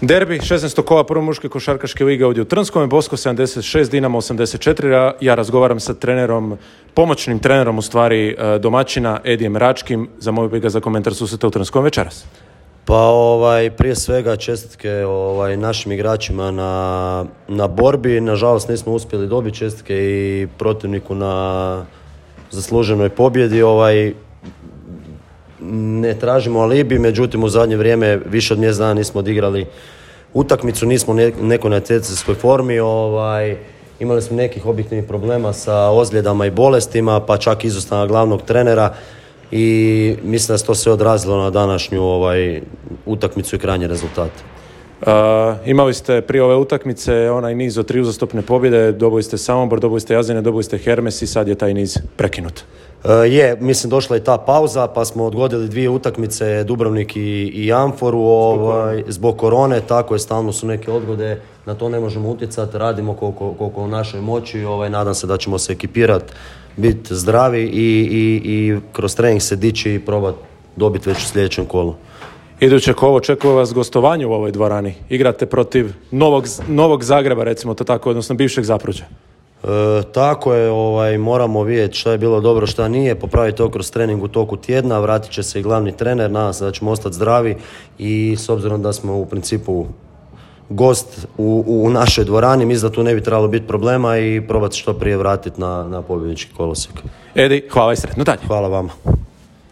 Derbi, 16. kola prve muške košarkaške lige ovdje u Trnskome, Bosko 76, Dinamo 84. Ja razgovaram sa trenerom, pomoćnim trenerom u stvari domaćina, Edijem Račkim. Zamolio bih ga za komentar susreta u Trnskom večeras. Pa prije svega čestitke našim igračima na borbi. Nažalost nismo uspjeli dobiti čestitke i protivniku na zasluženoj pobjedi. Ne tražimo alibi, međutim u zadnje vrijeme više od mjesec dana nismo odigrali utakmicu, nismo u nekoj natjecanjskoj formi. Imali smo nekih objektivnih problema sa ozljedama i bolestima, pa čak izostanak glavnog trenera i mislim da se to sve odrazilo na današnju utakmicu i krajnji rezultat. Imali ste prije ove utakmice onaj niz od 3 uzastopne pobjede, dobili ste Samobor, dobili ste Jazine, dobili ste Hermes i sad je taj niz prekinut. Mislim došla je ta pauza pa smo odgodili 2 utakmice, Dubrovnik i Amforu zbog korone, tako je, stalno su neke odgode, na to ne možemo utjecati, radimo koliko u našoj moći, nadam se da ćemo se ekipirati, biti zdravi i kroz trening se dići i probati dobiti već u sljedećem kolu. Iduće kolo očekuje vas gostovanje u ovoj dvorani. Igrate protiv Novog Zagreba, recimo to tako, odnosno bivšeg Zapruđa. Tako je, moramo vidjeti šta je bilo dobro, šta nije, popraviti to kroz trening u toku tjedna, vratit će se i glavni trener, nadam se da ćemo ostati zdravi i s obzirom da smo u principu gost u našoj dvorani, mislim da tu ne bi trebalo biti problema i probati što prije vratiti na pobjednički kolosijek. Edi, hvala i sretno dalje. Hvala vama.